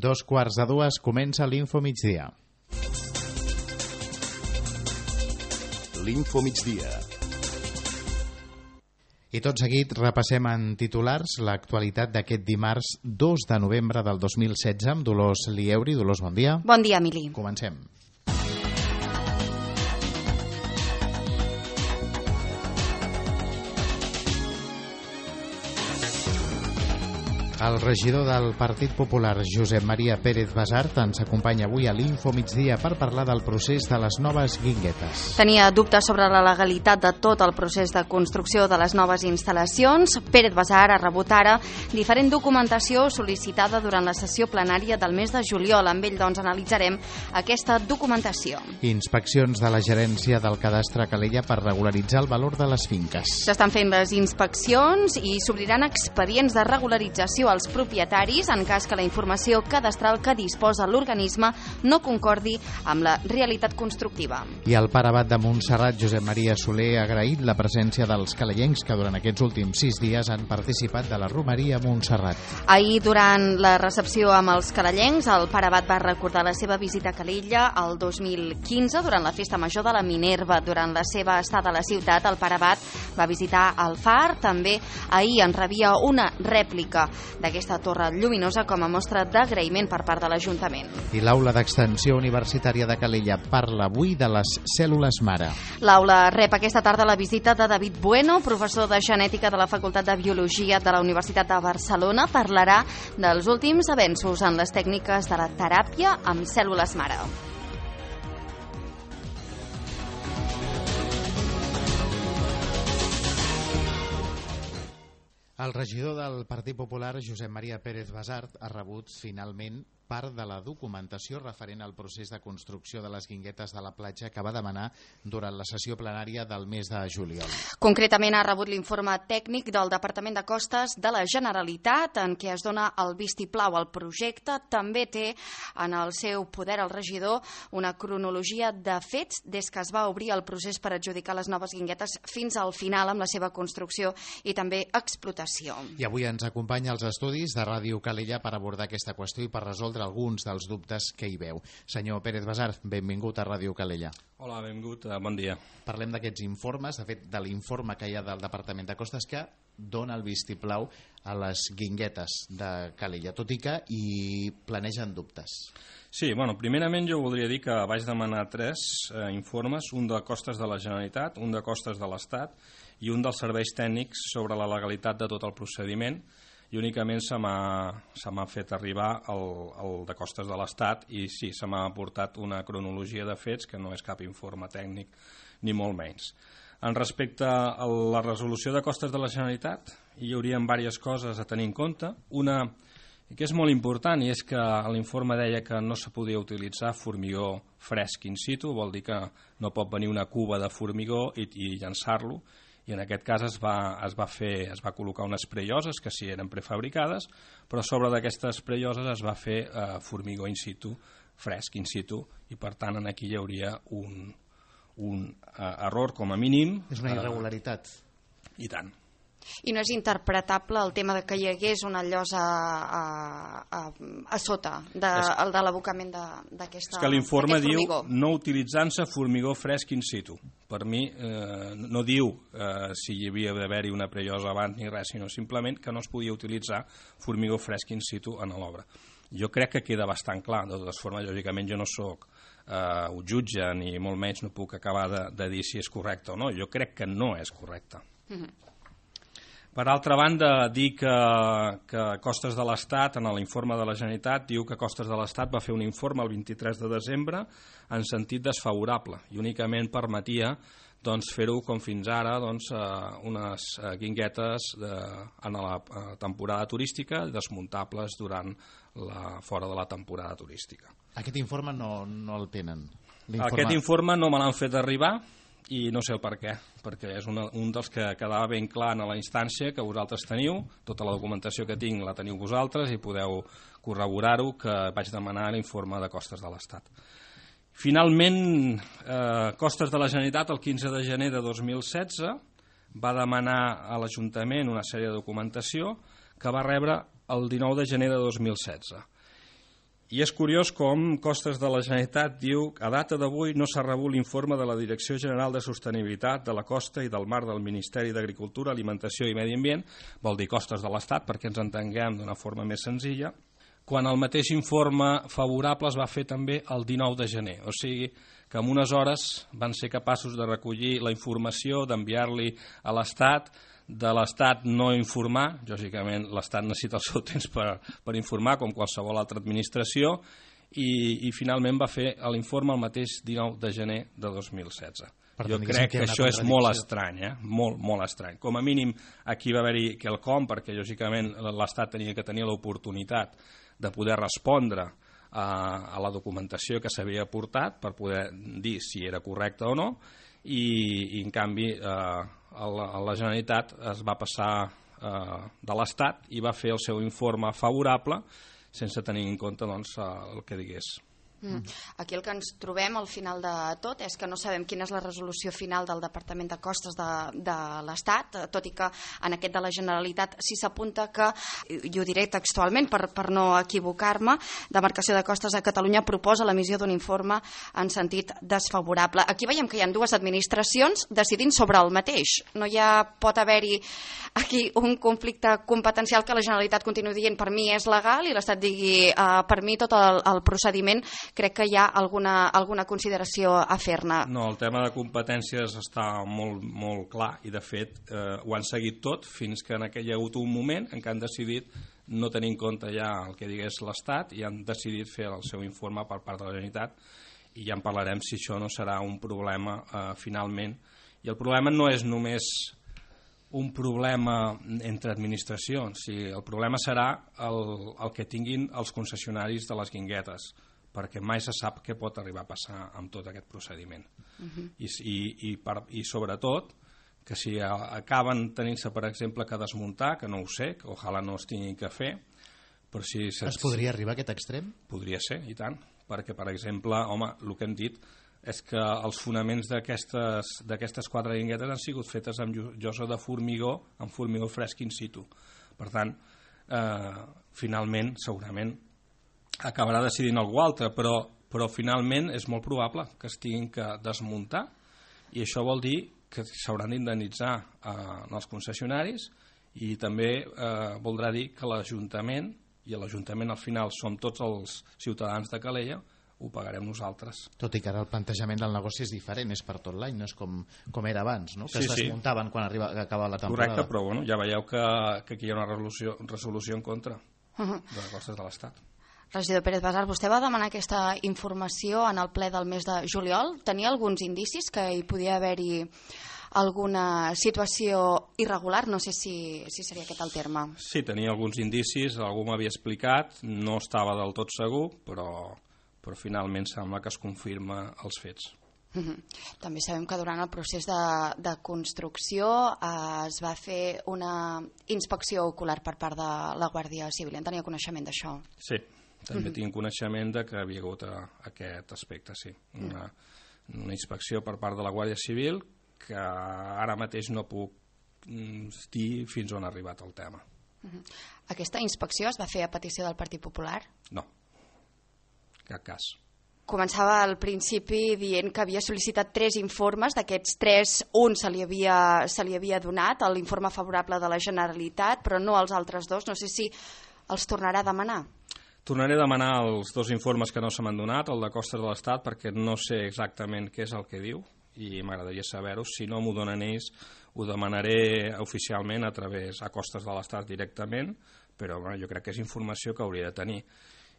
2:15 comença l'Info Migdia. L'Info Migdia. I tot seguit repassem en titulars l'actualitat d'aquest dimarts 2 de novembre del 2016 amb Dolors Lieuri. Dolors, bon dia. Bon dia, Emili. Comencem. El regidor del Partit Popular, Josep Maria Pérez Basart, ens acompanya avui a l'Info Migdia per parlar del procés de les noves guinguetes. Tenia dubtes sobre la legalitat de tot el procés de construcció de les noves instal·lacions. Pérez Basart ha rebut ara diferent documentació sol·licitada durant la sessió plenària del mes de juliol. Amb ell, doncs, analitzarem aquesta documentació. Inspeccions de la gerència del cadastre Calella per regularitzar el valor de les finques. S'estan fent les inspeccions i s'obriran expedients de regularització als propietaris en cas que la informació cadastral que disposa l'organisme no concordi amb la realitat constructiva. I el pare abat de Montserrat, Josep Maria Soler, ha agraït la presència dels calellencs que durant aquests últims 6 dies han participat de la romeria a Montserrat. Ahir, durant la recepció amb els calellencs, el pare abat va recordar la seva visita a Calella el 2015 durant la festa major de la Minerva. Durant la seva estada a la ciutat, el pare abat va visitar el far. També ahir en rebia una rèplica d'aquesta torre lluminosa com a mostra d'agraïment per part de l'Ajuntament. I l'aula d'extensió universitària de Calella parla avui de les cèl·lules mare. L'aula rep aquesta tarda la visita de David Bueno, professor de genètica de la Facultat de Biologia de la Universitat de Barcelona. Parlarà dels últims avenços en les tècniques de la teràpia amb cèl·lules mare. El regidor del Partit Popular, Josep Maria Pérez Basart, ha rebut finalment part de la documentació referent al procés de construcció de les guinguetes de la platja que va demanar durant la sessió plenària del mes de juliol. Concretament ha rebut l'informe tècnic del Departament de Costes de la Generalitat en què es dona el vistiplau al projecte. També té en el seu poder el regidor una cronologia de fets des que es va obrir el procés per adjudicar les noves guinguetes fins al final amb la seva construcció i també explotació. I avui ens acompanya als estudis de Ràdio Calella per abordar aquesta qüestió i per resoldre alguns dels dubtes que hi veu. Senyor Pérez Basart, benvingut a Ràdio Calella. Hola, benvingut, bon dia. Parlem d'aquests informes, de fet, de l'informe que hi ha del Departament de Costes que dona el vistiplau a les guinguetes de Calella, tot i que hi planegen dubtes. Sí, primerament jo voldria dir que vaig demanar 3 informes, un de costes de la Generalitat, un de costes de l'Estat i un dels serveis tècnics sobre la legalitat de tot el procediment, i únicament se m'ha fet arribar el de costes de l'Estat i sí, se m'ha aportat una cronologia de fets que no és cap informe tècnic ni molt menys. En respecte a la resolució de costes de la Generalitat hi haurien diverses coses a tenir en compte. Una que és molt important i és que l'informe deia que no se podia utilitzar formigó fresc in situ, vol dir que no pot venir una cuba de formigó i llançar-lo, i en aquest cas es va col·locar unes prelloses que sí eren prefabricades, però sobre d'aquestes prelloses es va fer formigó in situ, fresc in situ, i per tant aquí hi hauria un error com a mínim. És una irregularitat. I tant. I no és interpretable el tema de que hi hagués una llosa a sota de l'abocament d'aquesta... És que l'informe diu no utilitzant-se formigó fresc in situ. Per mi no diu si hi havia d'haver-hi una prellosa abans ni res, sinó simplement que no es podia utilitzar formigó fresc in situ en l'obra. Jo crec que queda bastant clar. De totes formes, lògicament, jo no soc un jutge ni molt menys no puc acabar de dir si és correcte o no. Jo crec que no és correcte. Per altra banda, dir que Costes de l'Estat, en l'informe de la Generalitat, diu que Costes de l'Estat va fer un informe el 23 de desembre en sentit desfavorable i únicament permetia fer-ho com fins ara unes guinguetes en la temporada turística desmuntables fora de la temporada turística. Aquest informe no el tenen? Aquest informe no me l'han fet arribar i no sé el per què, perquè és un dels que quedava ben clar en la instància que vosaltres teniu, tota la documentació que tinc la teniu vosaltres i podeu corroborar-ho, que vaig demanar l'informe de Costes de l'Estat. Finalment, Costes de la Generalitat, el 15 de gener de 2016, va demanar a l'Ajuntament una sèrie de documentació que va rebre el 19 de gener de 2016. I és curiós com Costes de la Generalitat diu que a data d'avui no s'ha rebut l'informe de la Direcció General de Sostenibilitat de la Costa i del Mar del Ministeri d'Agricultura, Alimentació i Medi Ambient, vol dir Costes de l'Estat perquè ens entenguem d'una forma més senzilla, quan el mateix informe favorable es va fer també el 19 de gener. O sigui que en unes hores van ser capaços de recollir la informació, d'enviar-li a l'Estat, de l'Estat no informar, lògicament l'Estat necessita el seu temps per informar, com qualsevol altra administració, i finalment va fer l'informe el mateix 19 de gener de 2016. Jo crec que això és molt estrany, molt estrany. Com a mínim aquí va haver-hi quelcom, perquè lògicament l'Estat tenia que tenir l'oportunitat de poder respondre a la documentació que s'havia aportat per poder dir si era correcta o no, i en canvi la Generalitat es va passar de l'Estat i va fer el seu informe favorable sense tenir en compte el que digués. Aquí el que ens trobem al final de tot és que no sabem quina és la resolució final del Departament de Costes de l'Estat, tot i que en aquest de la Generalitat sí s'apunta que, i ho diré textualment per no equivocar-me, Demarcació de Costes de Catalunya proposa l'emissió d'un informe en sentit desfavorable. Aquí veiem que hi ha dues administracions decidint sobre el mateix. No pot haver-hi aquí un conflicte competencial que la Generalitat continuï dient per mi és legal i l'Estat digui per mi tot el procediment. Crec que hi ha alguna consideració a fer-ne. No, el tema de competències està molt clar i de fet ho han seguit tot fins que hi ha hagut un moment en què han decidit no tenir en compte ja el que digués l'Estat i han decidit fer el seu informe per part de la Generalitat i ja en parlarem si això no serà un problema finalment. I el problema no és només un problema entre administracions, el problema serà el que tinguin els concessionaris de les guinguetes, perquè mai se sap què pot arribar a passar amb tot aquest procediment. I sobretot que si acaben tenint-se, per exemple, que desmuntar, que no ho sé, que ojalà no es tingui que fer, però si... Es podria arribar a aquest extrem? Podria ser, i tant, perquè, per exemple, home, el que hem dit és que els fonaments d'aquestes 4 guinguetes han sigut fetes amb llosa de formigó, amb formigó fresc in situ. Per tant, finalment, segurament, acabarà decidint algú altre, però finalment és molt probable que es tinguin que desmuntar i això vol dir que s'hauran d'indemnitzar els concessionaris i també voldrà dir que l'Ajuntament, i l'Ajuntament al final som tots els ciutadans de Calella, ho pagarem nosaltres. Tot i que ara el plantejament del negoci és diferent, és per tot l'any, no és com era abans, no? Que es desmuntaven quan acaba la temporada. Correcte, però bueno, ja veieu que aquí hi ha una resolució en contra de les costes de l'Estat. Regidor Pérez Basart, vostè va demanar aquesta informació en el ple del mes de juliol. Tenia alguns indicis que hi podia haver-hi alguna situació irregular? No sé si seria aquest el terme. Sí, tenia alguns indicis, algú m'havia explicat, no estava del tot segur, però finalment sembla que es confirma els fets. També sabem que durant el procés de construcció es va fer una inspecció ocular per part de la Guàrdia Civil. En tenia coneixement d'això? Sí, també tinc coneixement de que havia hagut aquest aspecte, sí. Una inspecció per part de la Guàrdia Civil que ara mateix no puc dir fins on ha arribat el tema. Aquesta inspecció es va fer a petició del Partit Popular? No, cap cas. Començava al principi dient que havia sol·licitat 3 informes, d'aquests 3, un se li havia donat, l'informe favorable de la Generalitat, però no els altres 2. No sé si els tornarà a demanar. Tornaré a demanar els 2 informes que no se m'han donat, el de Costes de l'Estat, perquè no sé exactament què és el que diu i m'agradaria saber-ho. Si no m'ho donen ells, ho demanaré oficialment a Costes de l'Estat directament, però jo crec que és informació que hauria de tenir.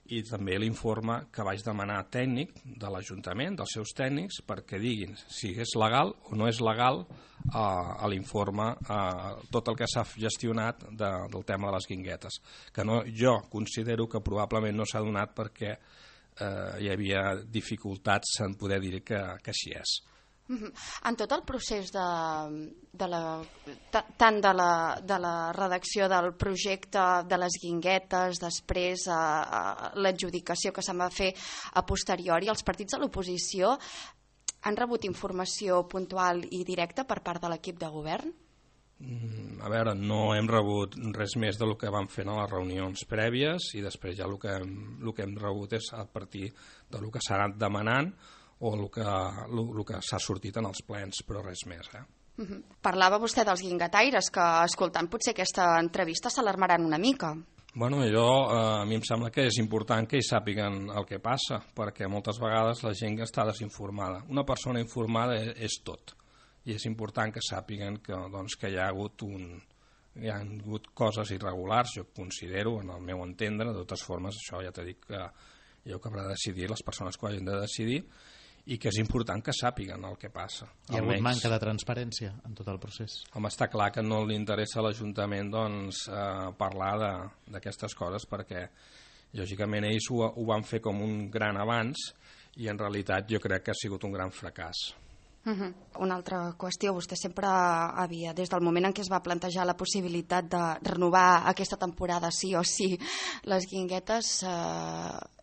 I també l'informe que vaig demanar tècnic de l'Ajuntament, dels seus tècnics, perquè diguin si és legal o no és legal a l'informe tot el que s'ha gestionat del tema de les guinguetes, que jo considero que probablement no s'ha donat perquè hi havia dificultats en poder dir que així és. En tot el procés tant de la redacció del projecte de les guinguetes, després l'adjudicació que se'n va fer a posteriori, els partits de l'oposició han rebut informació puntual i directa per part de l'equip de govern? A veure, no hem rebut res més del que vam fer a les reunions prèvies i després ja el que hem rebut és a partir del que s'ha anat demanant o el que s'ha sortit en els plens, però res més. Parlava vostè dels guingataires, que escoltant potser aquesta entrevista s'alarmaran una mica. Bueno, a mi em sembla que és important que hi sàpiguen el que passa, perquè moltes vegades la gent està desinformada. Una persona informada és tot. I és important que sàpiguen que hi ha hagut coses irregulars, jo considero, en el meu entendre. De totes formes, això ja t'he dit que jo que haurà de decidir les persones que ho hagin de decidir, i que és important que sàpiguen el que passa. Hi ha hagut manca de transparència en tot el procés? Home, està clar que no li interessa a l'Ajuntament parlar d'aquestes coses, perquè lògicament ells ho van fer com un gran avanç i en realitat jo crec que ha sigut un gran fracàs. Una altra qüestió, vostè sempre havia, des del moment en què es va plantejar la possibilitat de renovar aquesta temporada sí o sí, les guinguetes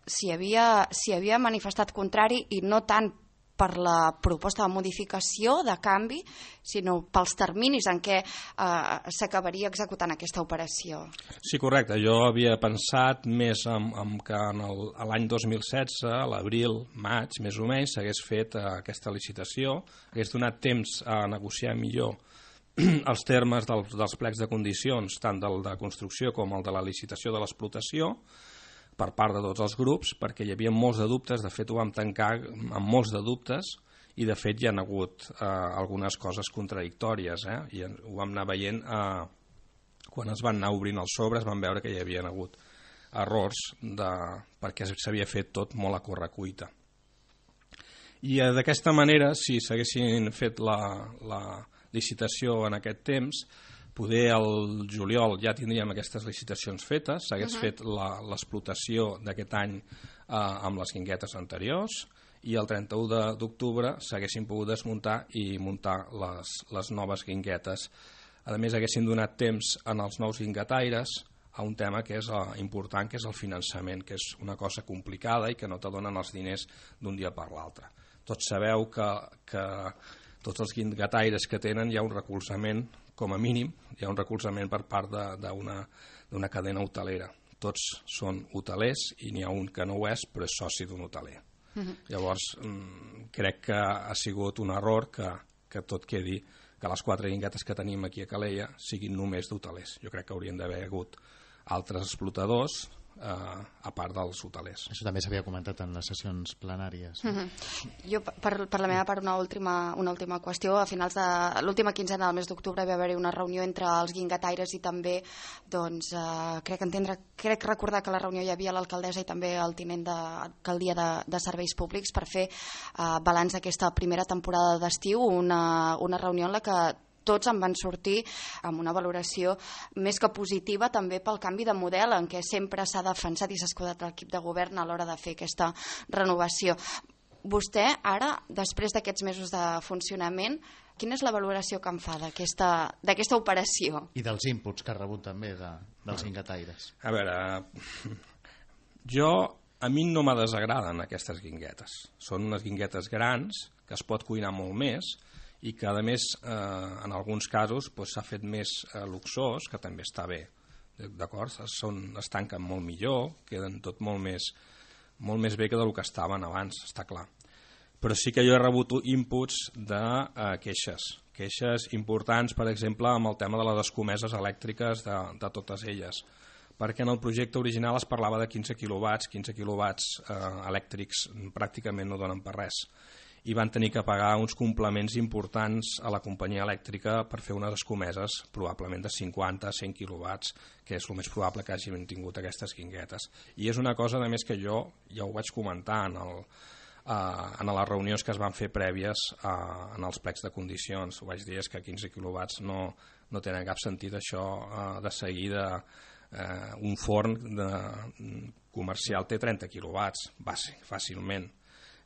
s'hi havia manifestat contrari, i no tant per la proposta de modificació, de canvi, sinó pels terminis en què s'acabaria executant aquesta operació. Sí, correcte. Jo havia pensat més en que l'any 2016, a l'abril, maig, més o menys, s'hagués fet aquesta licitació, hagués donat temps a negociar millor els termes dels plecs de condicions, tant del de construcció com el de la licitació de l'explotació, per part de tots els grups, perquè hi havia molts de dubtes. De fet ho vam tancar amb molts de dubtes i de fet hi ha hagut algunes coses contradictòries, i ho vam anar veient quan es van anar obrint els sobres, vam veure que hi havia hagut errors perquè s'havia fet tot molt a correcuita. I d'aquesta manera, si s'haguessin fet la licitació en aquest temps, poder al juliol ja tindríem aquestes licitacions fetes, s'hagués fet l'explotació d'aquest any amb les guinguetes anteriors, i el 31 d'octubre s'haguessin pogut desmuntar i muntar les noves guinguetes. A més, haguessin donat temps en els nous guingataires a un tema que és important, que és el finançament, que és una cosa complicada i que no te donen els diners d'un dia per l'altre. Tots sabeu que tots els guingataires que tenen hi ha un recolzament, com a mínim, hi ha un recolzament per part d'una cadena hotelera. Tots són hotelers i n'hi ha un que no ho és, però és soci d'un hoteler. Llavors, crec que ha sigut un error que tot quedi, que les 4 guinguetes que tenim aquí a Calella siguin només d'hotelers. Jo crec que haurien d'haver hagut altres explotadors a part dels hotelers. Això també s'havia comentat en les sessions plenàries. Jo, per la meva part, una última qüestió. A finals de l'última quinzena del mes d'octubre va haver-hi una reunió entre els guingataires i també, crec recordar que a la reunió hi havia l'alcaldessa i també el tinent d'alcaldia de Serveis Públics per fer balanç d'aquesta primera temporada d'estiu, una reunió en la que tots en van sortir amb una valoració més que positiva, també pel canvi de model en què sempre s'ha defensat i s'ha escudat l'equip de govern a l'hora de fer aquesta renovació. Vostè, ara, després d'aquests mesos de funcionament, quina és la valoració que en fa d'aquesta operació? I dels inputs que ha rebut també dels guingataires. A veure, a mi no me desagraden aquestes guinguetes. Són unes guinguetes grans, que es pot cuinar molt més, i que a més en alguns casos s'ha fet més luxós, que també està bé, d'acord? Es tanquen molt millor, queden tot molt més bé que del que estaven abans, està clar. Però sí que jo he rebut inputs de queixes importants, per exemple, amb el tema de les escomeses elèctriques de totes elles, perquè en el projecte original es parlava de 15 quilowatts elèctrics pràcticament no donen per res, i van tenir que pagar uns complements importants a la companyia elèctrica per fer unes escomeses probablement de 50-100 quilowatts, que és el més probable que hagin tingut aquestes guinguetes. I és una cosa, a més, que jo ja ho vaig comentar en les reunions que es van fer prèvies en els plecs de condicions. Ho vaig dir, és que 15 quilowatts no tenen cap sentit. Això de seguida un forn comercial té 30 quilowatts fàcilment.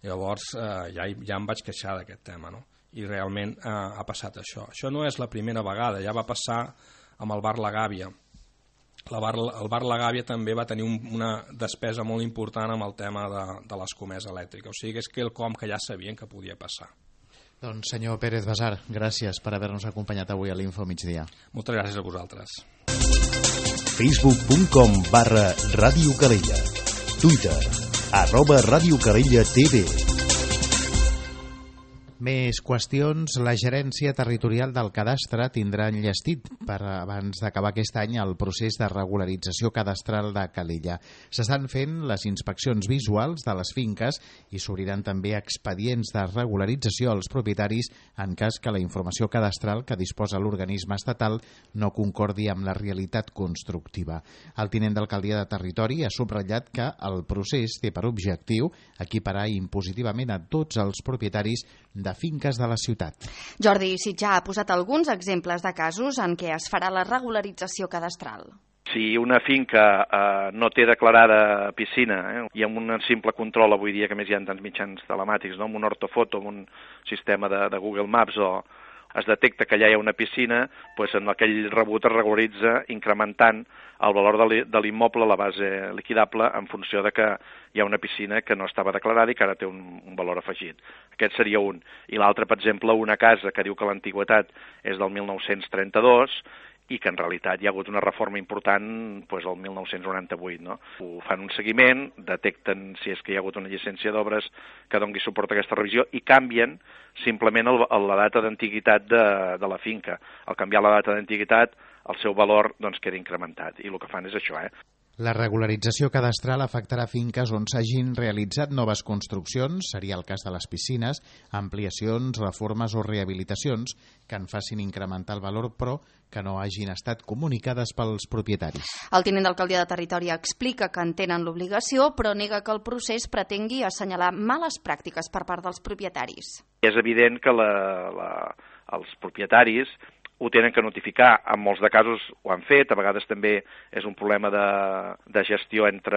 Llavors ja em vaig queixar d'aquest tema, no? I realment ha passat això. Això no és la primera vegada, ja va passar amb el bar La Gàbia. El bar La Gàbia també va tenir una despesa molt important amb el tema de l'escomesa elèctrica, o sigui que és quelcom que ja sabien que podia passar. Doncs senyor Pérez Basart, gràcies per haver-nos acompanyat avui a l'Info Migdia. Moltes gràcies a vosaltres. Facebook.com/Ràdio Calella. Twitter @RàdioCalella.tv. Més qüestions. La gerència territorial del cadastre tindrà enllestit abans d'acabar aquest any el procés de regularització cadastral de Calella. S'estan fent les inspeccions visuals de les finques i s'obriran també expedients de regularització als propietaris en cas que la informació cadastral que disposa l'organisme estatal no concordi amb la realitat constructiva. El tinent d'alcaldia de Territori ha subratllat que el procés té per objectiu equiparar impositivament a tots els propietaris de finques de la ciutat. Jordi Sitjà ha posat alguns exemples de casos en què es farà la regularització cadastral. Si una finca no té declarada piscina i amb un simple control avui dia, que més hi ha tants mitjans telemàtics, no? Amb un ortofoto, amb un sistema de Google Maps es detecta que allà hi ha una piscina, doncs en aquell rebut es regularitza incrementant el valor de l'immoble, la base liquidable, en funció de que hi ha una piscina que no estava declarada i que ara té un valor afegit. Aquest seria un. I l'altre, per exemple, una casa que diu que l'antiguitat és del 1932 i que en realitat hi ha hagut una reforma important doncs, el 1998. No? Ho fan un seguiment, detecten si és que hi ha hagut una llicència d'obres que doni suport a aquesta revisió i canvien simplement la data d'antiguitat de la finca. Al canviar la data d'antiguitat, el seu valor doncs, queda incrementat. I el que fan és això, La regularització cadastral afectarà finques on s'hagin realitzat noves construccions, seria el cas de les piscines, ampliacions, reformes o rehabilitacions que en facin incrementar el valor, però que no hagin estat comunicades pels propietaris. El tinent d'alcaldia de Territori explica que en tenen l'obligació, però nega que el procés pretengui assenyalar males pràctiques per part dels propietaris. És evident que els propietaris ho tenen que notificar. En molts de casos ho han fet, a vegades també és un problema de gestió entre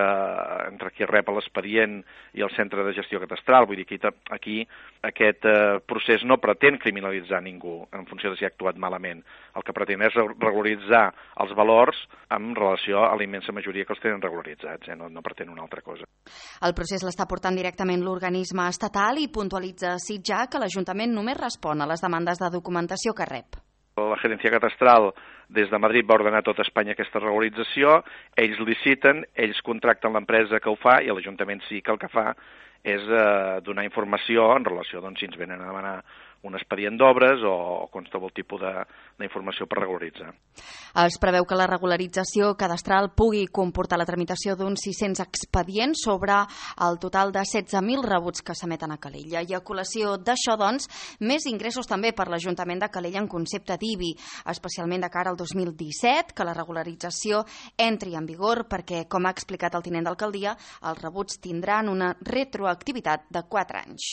qui rep l'expedient i el centre de gestió catastral. Vull dir que aquí aquest procés no pretén criminalitzar ningú en funció de si ha actuat malament. El que pretén és regularitzar els valors en relació a la immensa majoria que els tenen regularitzats, no pretén una altra cosa. El procés l'està portant directament l'organisme estatal i puntualitza Sitjà que l'Ajuntament només respon a les demandes de documentació que rep. La gerència catastral des de Madrid va ordenar a tota Espanya aquesta regularització, ells liciten, ells contracten l'empresa que ho fa i l'Ajuntament sí que el que fa és donar informació en relació si ens venen a demanar un expedient d'obres o qualsevol tipus d'informació per regularitzar. Es preveu que la regularització cadastral pugui comportar la tramitació d'uns 600 expedients sobre el total de 16.000 rebuts que s'emeten a Calella. I a col·lació d'això, doncs, més ingressos també per l'Ajuntament de Calella en concepte d'IBI, especialment de cara al 2017, que la regularització entri en vigor perquè, com ha explicat el tinent d'alcaldia, els rebuts tindran una retroactivitat de 4 anys.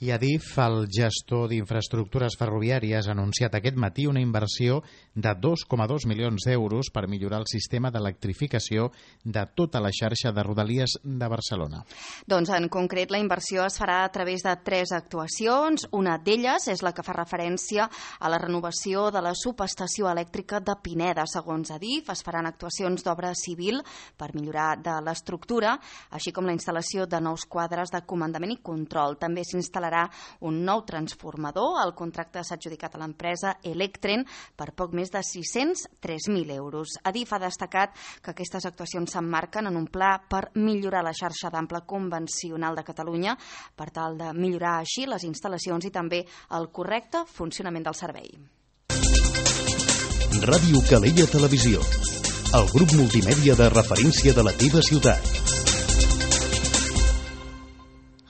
I Adif, el gestor d'infraestructures ferroviàries, ha anunciat aquest matí una inversió de 2,2 milions d'euros per millorar el sistema d'electrificació de tota la xarxa de Rodalies de Barcelona. Doncs en concret la inversió es farà a través de 3 actuacions. Una d'elles és la que fa referència a la renovació de la subestació elèctrica de Pineda. Segons Adif, es faran actuacions d'obra civil per millorar de l'estructura, així com la instal·lació de nous quadres de comandament i control. També s'instal·larà un nou transformador. El contracte s'ha adjudicat a l'empresa Electren per poc més de 603.000 euros. Adif ha destacat que aquestes actuacions s'emmarquen en un pla per millorar la xarxa d'ample convencional de Catalunya per tal de millorar així les instal·lacions i també el correcte funcionament del servei. Ràdio Calella Televisió, el grup multimèdia de referència de la teva ciutat.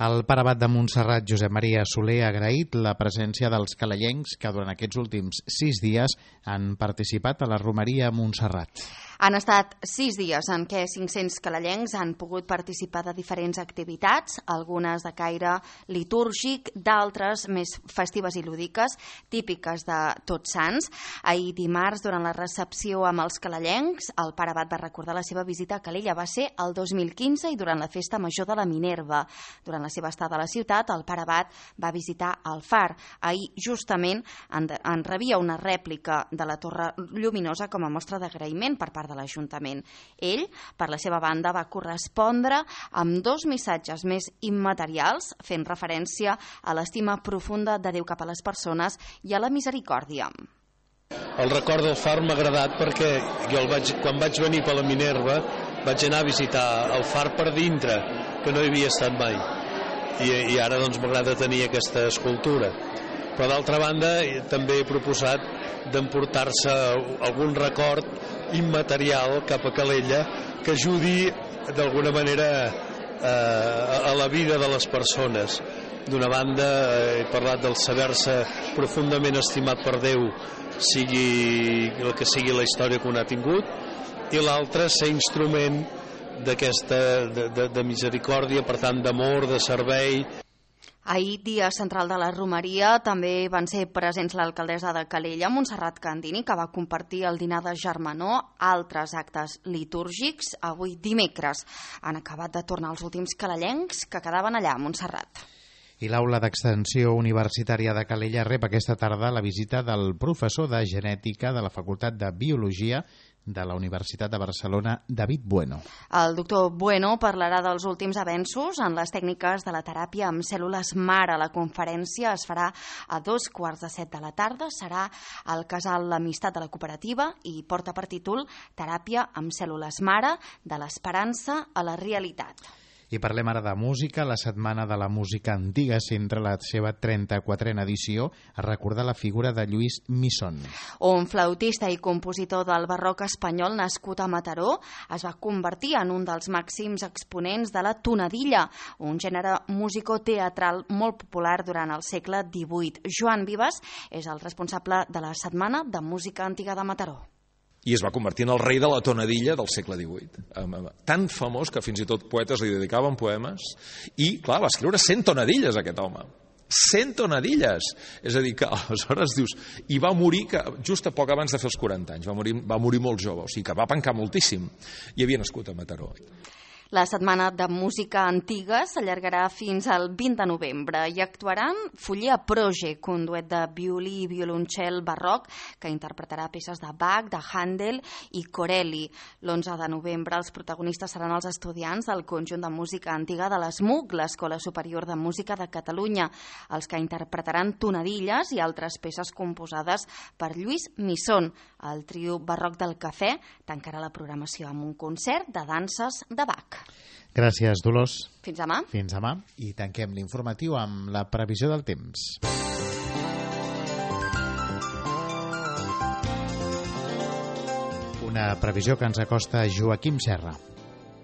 El pare abat de Montserrat, Josep Maria Soler, ha agraït la presència dels calellencs que durant aquests últims 6 dies han participat a la romeria a Montserrat. Han estat 6 dies en què 500 calellencs han pogut participar de diferents activitats, algunes de caire litúrgic, d'altres més festives i lúdiques, típiques de Tots Sants. Ahir dimarts, durant la recepció amb els calellencs, el pare abat va recordar la seva visita a Calella. Va ser el 2015 i durant la festa major de la Minerva. Durant la seva estada a la ciutat, el pare abat va visitar el far. Ahir, justament, en rebia una rèplica de la Torre Lluminosa com a mostra d'agraïment per part part de l'Ajuntament. Ell, per la seva banda, va correspondre amb 2 missatges més immaterials, fent referència a l'estima profunda de Déu cap a les persones i a la misericòrdia. El record del far m'ha agradat perquè jo quan vaig venir per la Minerva vaig anar a visitar el far per dintre, que no hi havia estat mai. I ara doncs m'agrada tenir aquesta escultura. Però d'altra banda també he proposat d'emportar-se algun record immaterial cap a Calella que ajudi d'alguna manera a la vida de les persones. D'una banda he parlat del saber-se profundament estimat per Déu, sigui el que sigui la història que un ha tingut, i l'altra ser instrument de misericòrdia, per tant d'amor, de servei. Ahir, dia central de la Romeria, també van ser presents l'alcaldessa de Calella, Montserrat Candini, que va compartir el dinar de germanor, altres actes litúrgics. Avui, dimecres, han acabat de tornar els últims calellencs que quedaven allà a Montserrat. I l'aula d'extensió universitària de Calella rep aquesta tarda la visita del professor de genètica de la Facultat de Biologia de la Universitat de Barcelona, David Bueno. El doctor Bueno parlarà dels últims avenços en les tècniques de la teràpia amb cèl·lules mare. La conferència es farà a 2:45 de la tarda. Serà al casal L'Amistat de la Cooperativa i porta per títol Teràpia amb cèl·lules mare, de l'esperança a la realitat. I parlem ara de música. La Setmana de la Música Antiga centra la seva 34a edició a recordar la figura de Lluís Misson. Un flautista i compositor del barroc espanyol nascut a Mataró, es va convertir en un dels màxims exponents de la tonadilla, un gènere musicoteatral molt popular durant el segle XVIII. Joan Vives és el responsable de la Setmana de Música Antiga de Mataró. I es va convertir en el rei de la tonadilla del segle XVIII. Tan famós que fins i tot poetes li dedicaven poemes. I, clar, va escriure 100 tonadilles, aquest home. 100 tonadilles! És a dir, que aleshores dius... I va morir just a poc abans de fer els 40 anys. Va morir molt jove, o sigui que va pencar moltíssim. I havia nascut a Mataró. La Setmana de Música Antiga s'allargarà fins al 20 de novembre i actuaran Foller Project, un duet de violí i violoncel barroc que interpretarà peces de Bach, de Handel i Corelli. L'11 de novembre els protagonistes seran els estudiants del Conjunt de Música Antiga de l'ESMUC, l'Escola Superior de Música de Catalunya, els que interpretaran tonadilles i altres peces composades per Lluís Misson. El trio barroc del Cafè tancarà la programació amb un concert de danses de Bach. Gràcies, Dolors. Fins demà. Fins demà. I tanquem l'informatiu amb la previsió del temps. Una previsió que ens acosta Joaquim Serra.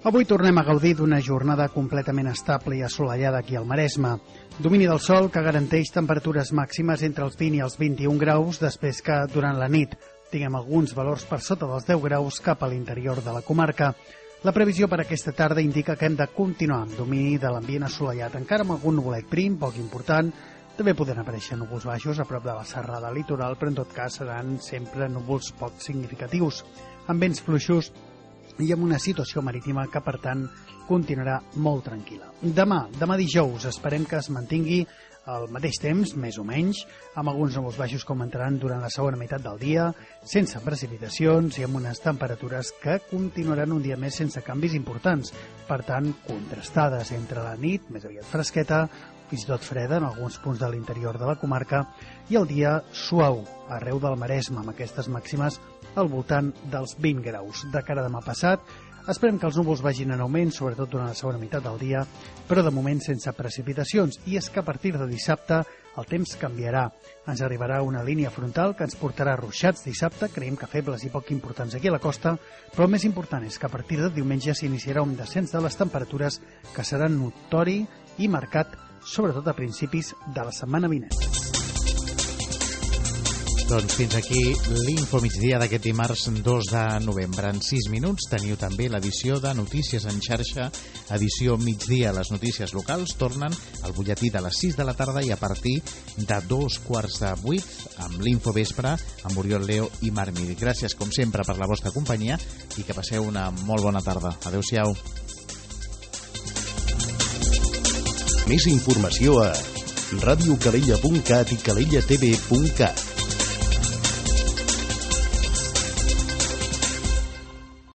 Avui tornem a gaudir d'una jornada completament estable i assolellada aquí al Maresme. Domini del sol que garanteix temperatures màximes entre els 20 i els 21 graus, després que durant la nit tinguem alguns valors per sota dels 10 graus cap a l'interior de la comarca. La previsió per aquesta tarda indica que hem de continuar amb domini de l'ambient assolellat, encara amb algun nuvolet prim, poc important. També poden aparèixer núvols baixos a prop de la serrada litoral, però en tot cas seran sempre núvols poc significatius, amb vents fluixos i amb una situació marítima que, per tant, continuarà molt tranquil·la. Demà dijous, esperem que es mantingui al mateix temps, més o menys, amb alguns núvols baixos que augmentaran durant la segona meitat del dia, sense precipitacions i amb unes temperatures que continuaran un dia més sense canvis importants, per tant, contrastades entre la nit, més aviat fresqueta, fins i tot freda en alguns punts de l'interior de la comarca, i el dia suau arreu del Maresme, amb aquestes màximes al voltant dels 20 graus. De cara a demà passat, esperem que els núvols vagin en augment, sobretot durant la segona meitat del dia, però de moment sense precipitacions. I és que a partir de dissabte el temps canviarà. Ens arribarà una línia frontal que ens portarà ruixats dissabte, creiem que febles i poc importants aquí a la costa, però el més important és que a partir de diumenge s'iniciarà un descens de les temperatures que serà notori i marcat, sobretot a principis de la setmana vinent. Doncs fins aquí l'Info Migdia d'aquest dimarts 2 de novembre. En 6 minuts teniu també l'edició de Notícies en xarxa, edició migdia. Les notícies locals tornen al butlletí de les 6 de la tarda i a partir de 7:15 amb l'Info Vespre amb Oriol Leo i Marc Miri. Gràcies, com sempre, per la vostra companyia i que passeu una molt bona tarda. Adéu-siau. Més informació a radiocalella.cat i calellatv.cat.